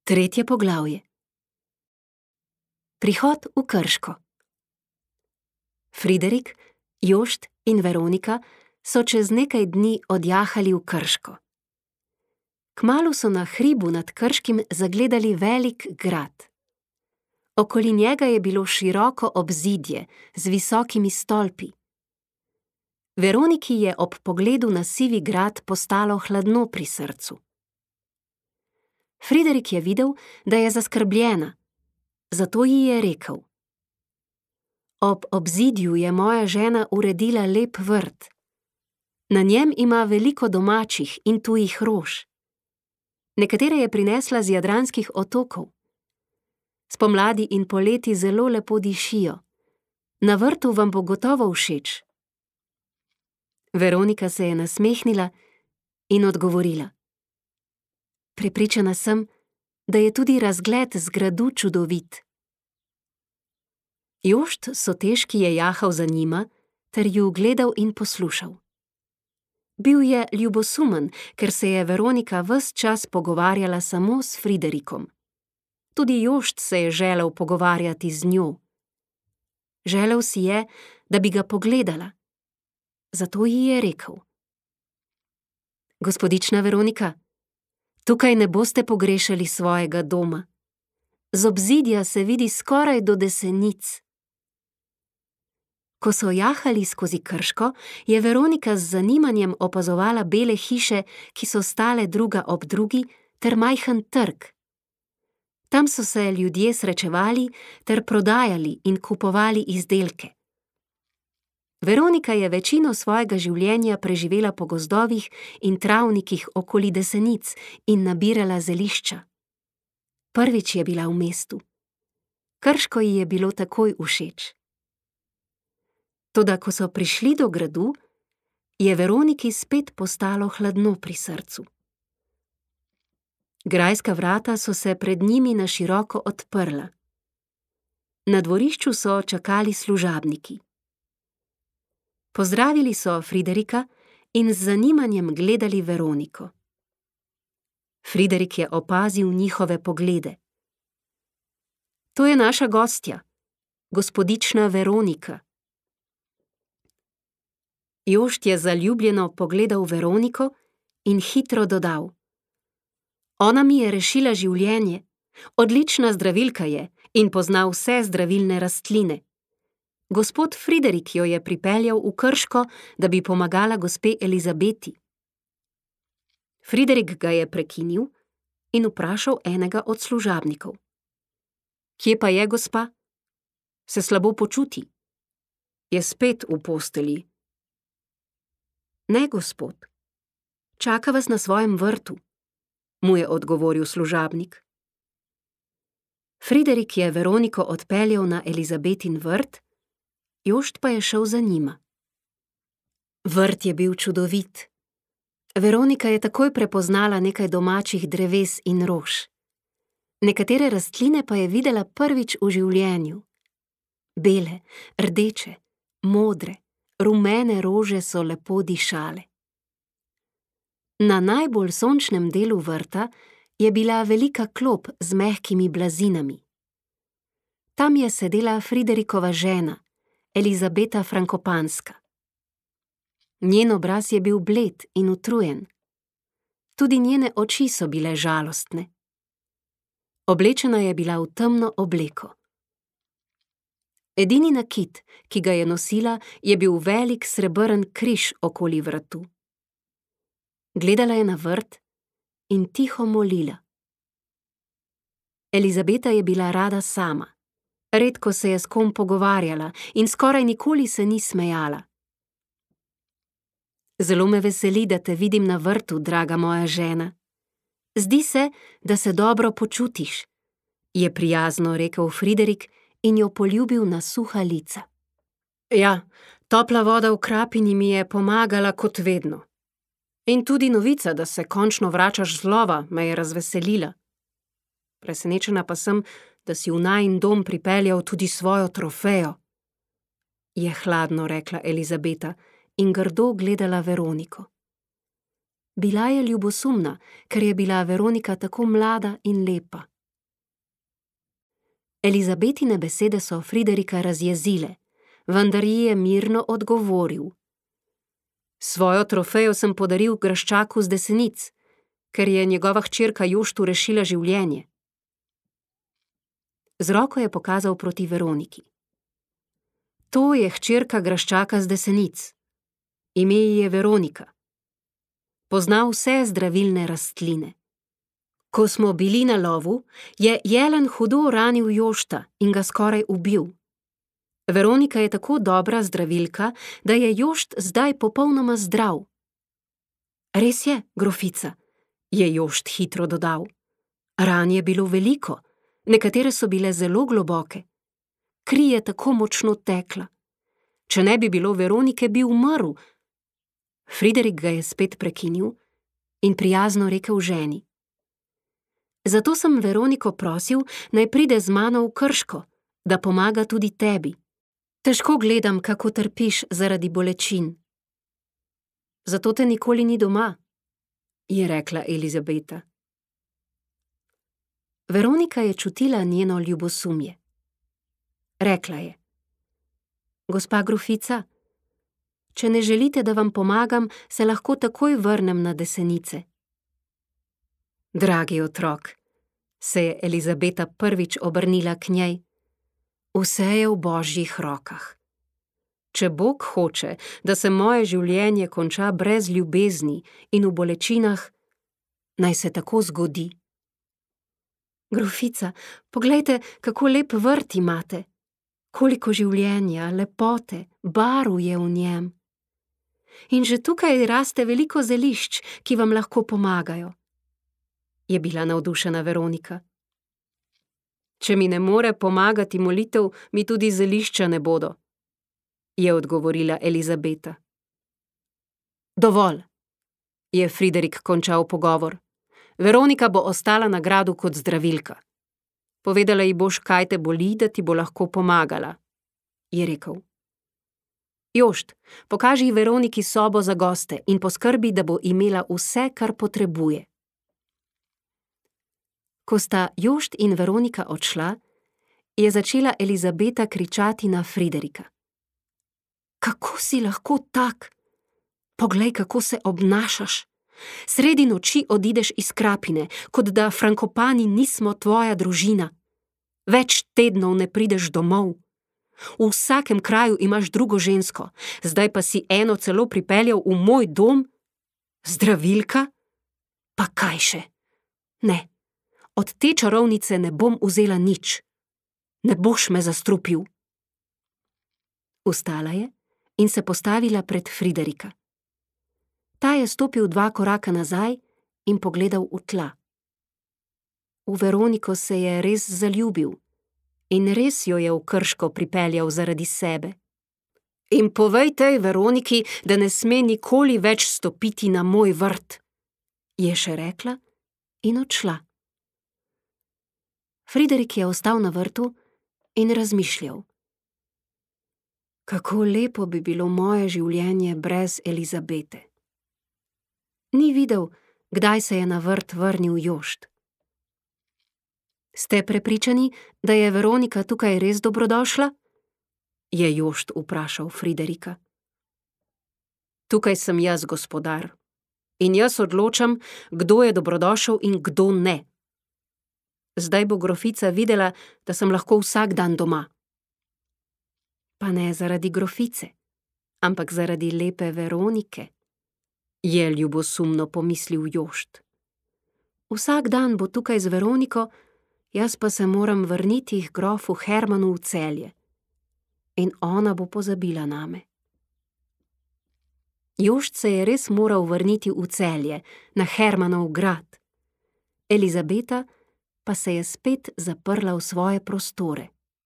Tretje poglavje. Prihod v Krško. Friderik, Jošt in Veronika so čez nekaj dni odjahali v Krško. Kmalu so na hribu nad Krškim zagledali velik grad. Okoli njega je bilo široko obzidje z visokimi stolpi. Veroniki je ob pogledu na sivi grad postalo hladno pri srcu. Friderik je videl, da je zaskrbljena, zato ji je rekel: Ob obzidju je moja žena uredila lep vrt. Na njem ima veliko domačih in tujih rož. Nekatere je prinesla z jadranskih otokov. Spomladi in poleti zelo lepo dišijo. Na vrtu vam bo gotovo všeč. Veronika se je nasmehnila in odgovorila: Prepričana sem, da je tudi razgled z gradu čudovit. Jošt Sotežki je jahal za njima ter ju gledal in poslušal. Bil je ljubosumen, ker se je Veronika ves čas pogovarjala samo s Friderikom. Tudi Jošt se je želel pogovarjati z njo. Želel si je, da bi ga pogledala. Zato ji je rekel: Gospodična Veronika, tukaj ne boste pogrešali svojega doma. Z obzidja se vidi skoraj do Desenic. Ko so jahali skozi Krško, je Veronika z zanimanjem opazovala bele hiše, ki so stale druga ob drugi, ter majhen trg. Tam so se ljudje srečevali ter prodajali in kupovali izdelke. Veronika je večino svojega življenja preživela po gozdovih in travnikih okoli Desenic in nabirala zelišča. Prvič je bila v mestu. Krško ji je bilo takoj všeč. Toda ko so prišli do gradu, je Veroniki spet postalo hladno pri srcu. Grajska vrata so se pred njimi na široko odprla. Na dvorišču so čakali služabniki. Pozdravili so Friderika in z zanimanjem gledali Veroniko. Friderik je opazil njihove poglede. To je naša gostja, gospodična Veronika. Jošt je zaljubljeno pogledal Veroniko in hitro dodal: Ona mi je rešila življenje, odlična zdravilka je in pozna vse zdravilne rastline. Gospod Friderik jo je pripeljal v Krško, da bi pomagala gospe Elizabeti. Friderik ga je prekinil in vprašal enega od služabnikov: Kje pa je gospa? Se slabo počuti? Je spet v postelji? Ne, gospod. Čaka vas na svojem vrtu, mu je odgovoril služabnik. Friderik je Veroniko odpeljal na Elizabetin vrt, Jošt pa je šel za njima. Vrt je bil čudovit. Veronika je takoj prepoznala nekaj domačih dreves in rož. Nekatere rastline pa je videla prvič v življenju. Bele, rdeče, modre, rumene rože so lepo dišale. Na najbolj sončnem delu vrta je bila velika klop z mehkimi blazinami. Tam je sedela Friderikova žena, Elizabeta Frankopanska. Njen obraz je bil bled in utrujen. Tudi njene oči so bile žalostne. Oblečena je bila v temno obleko. Edini nakit, ki ga je nosila, je bil velik srebrn križ okoli vratu. Gledala je na vrt in tiho molila. Elizabeta je bila rada sama. Redko se je s kom pogovarjala in skoraj nikoli se ni smejala. Zelo me veseli, da te vidim na vrtu, draga moja žena. Zdi se, da se dobro počutiš, je prijazno rekel Friderik in jo poljubil na suha lica. Ja, topla voda v krapini mi je pomagala kot vedno. In tudi novica, da se končno vračaš z lova, me je razveselila. Presenečena pa sem, da si v najin dom pripeljal tudi svojo trofejo, je hladno rekla Elizabeta in grdo gledala Veroniko. Bila je ljubosumna, ker je bila Veronika tako mlada in lepa. Elizabetine besede so Friderika razjezile, vendar ji je mirno odgovoril. Svojo trofejo sem podaril graščaku z Desenic, ker je njegova hčerka Joštu rešila življenje. Z roko je pokazal proti Veroniki. To je hčerka graščaka z Desenic. Ime ji je Veronika. Pozna vse zdravilne rastline. Ko smo bili na lovu, je jelen hudo ranil Jošta in ga skoraj ubil. Veronika je tako dobra zdravilka, da je Jošt zdaj popolnoma zdrav. Res je, grofica, je Jošt hitro dodal. Ran je bilo veliko, nekatere so bile zelo globoke. Kri je tako močno tekla. Če ne bi bilo Veronike, bi umrl. Friderik ga je spet prekinil in prijazno rekel ženi. Zato sem Veroniko prosil, naj pride z mano v Krško, da pomaga tudi tebi. Težko gledam, kako trpiš zaradi bolečin. Zato te nikoli ni doma, je rekla Elizabeta. Veronika je čutila njeno ljubosumje. Rekla je. Gospa grofica, če ne želite, da vam pomagam, se lahko takoj vrnem na Desenice. Dragi otrok, se je Elizabeta prvič obrnila k njej, vse je v Božjih rokah. Če Bog hoče, da se moje življenje konča brez ljubezni in v bolečinah, naj se tako zgodi. Grofica, poglejte, kako lep vrt imate. Koliko življenja, lepote, barv je v njem. In že tukaj raste veliko zelišč, ki vam lahko pomagajo. Je bila navdušena Veronika. Če mi ne more pomagati molitev, mi tudi zelišča ne bodo, je odgovorila Elizabeta. Dovolj, je Friderik končal pogovor. Veronika bo ostala na gradu kot zdravilka. Povedala ji boš, kaj te boli, da ti bo lahko pomagala, je rekel. Jošt, pokaži Veroniki sobo za goste in poskrbi, da bo imela vse, kar potrebuje. Ko sta Jošt in Veronika odšla, je začela Elizabeta kričati na Friderika. Kako si lahko tak? Poglej, kako se obnašaš. Sredi noči odideš iz Krapine, kot da Frankopani nismo tvoja družina. Več tednov ne prideš domov. V vsakem kraju imaš drugo žensko, zdaj pa si eno celo pripeljal v moj dom? Zdravilka? Pa kaj še? Ne, od te čarovnice ne bom vzela nič. Ne boš me zastrupil. Vstala je in se postavila pred Friderika. Ta je stopil 2 koraka nazaj in pogledal v tla. V Veroniko se je res zaljubil in res jo je v Krško pripeljal zaradi sebe. In povej tej Veroniki, da ne sme nikoli več stopiti na moj vrt, je še rekla in odšla. Friderik je ostal na vrtu in razmišljal. Kako lepo bi bilo moje življenje brez Elizabete. Ni videl, kdaj se je na vrt vrnil Jošt. Ste prepričani, da je Veronika tukaj res dobrodošla? Je Jošt vprašal Friderika. Tukaj sem jaz, gospodar, in jaz odločam, kdo je dobrodošel in kdo ne. Zdaj bo grofica videla, da sem lahko vsak dan doma. Pa ne zaradi grofice, ampak zaradi lepe Veronike, je ljubosumno pomislil Jošt. Vsak dan bo tukaj z Veroniko, jaz pa se moram vrniti k grofu Hermanu v Celje. In ona bo pozabila name. Jošt se je res moral vrniti v Celje, na Hermanov grad. Elizabeta pa se je spet zaprla v svoje prostore.